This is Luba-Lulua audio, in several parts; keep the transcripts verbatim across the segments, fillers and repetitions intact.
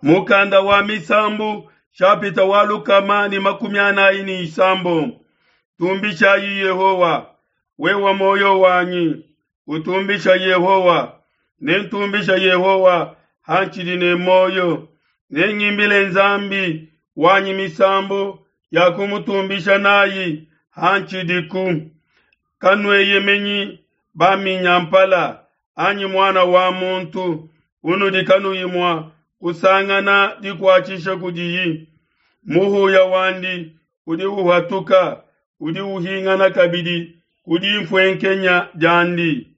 Mukanda wa Misambu shapita wa lukama ne makumi anayi ne isambombo. Tumbishayi Yehowa, wewa moyo wanyi, utumbisha Yehowa. Nentumbisha Yehowa hantshidi ne moyo. Nengimbile Nzambi wanyi misambu ya kumutumbisha nayi hantshidiku. Kanueyemenyi baminyampala anyi muana wa muntu unudi kanuyi mua kusangana dikuatshisha kudiyi. Muhuya wandi udi uhatuka, udi uhingana kabidi ku dinfuenkenya diandi.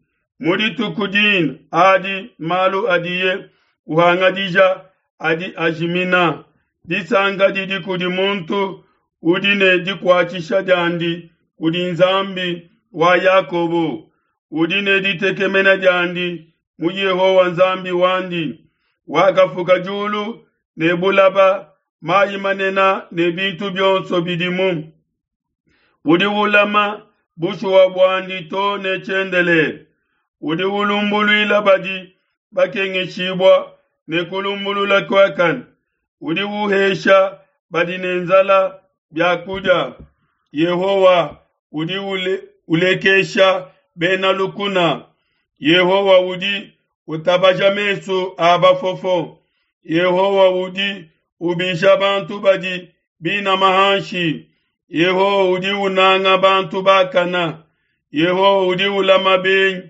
Mu dituku dine adi malu adiye uhangadija adi ajimina. Disanka didi kudi muntu udi ne dikuatshisha diandi kudi Nzambi wa Yakobo, udi ne ditekemena diandi mu Yehowa Nzambi wandi, wakafuka diulu ne bulaba, mayi manene ne bintu bionso bidimu. Udi ulama bushuwa buandi to ne tshiendelele, udi ulumbuluila badi bakengeshibua ne kulumbulula kuakane, udi uhesha badi ne nzala bia kudia. Yehowa udi ule, ulekesha bena lukuna. Yehowa udi utabaja mesu a bafofo. Yehowa udi ubisha bantu badi binama hanshi. Yehowa udi unanga bantu bakana. Yehowa udi ulama benyi,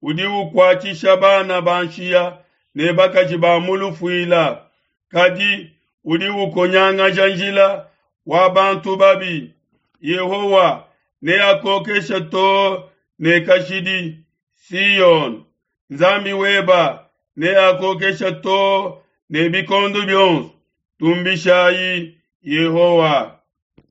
udi ukuatshisha bana ba nshiya ne bakaji ba mu lufuila. Kadi udi ukonyangaja njila wa bantu babi. Yehowa neakokeshe too ne kashidi. Siyone, Nzambi weba neakokeshe too ne bikondo bionso. Tumbishayi Yehowa.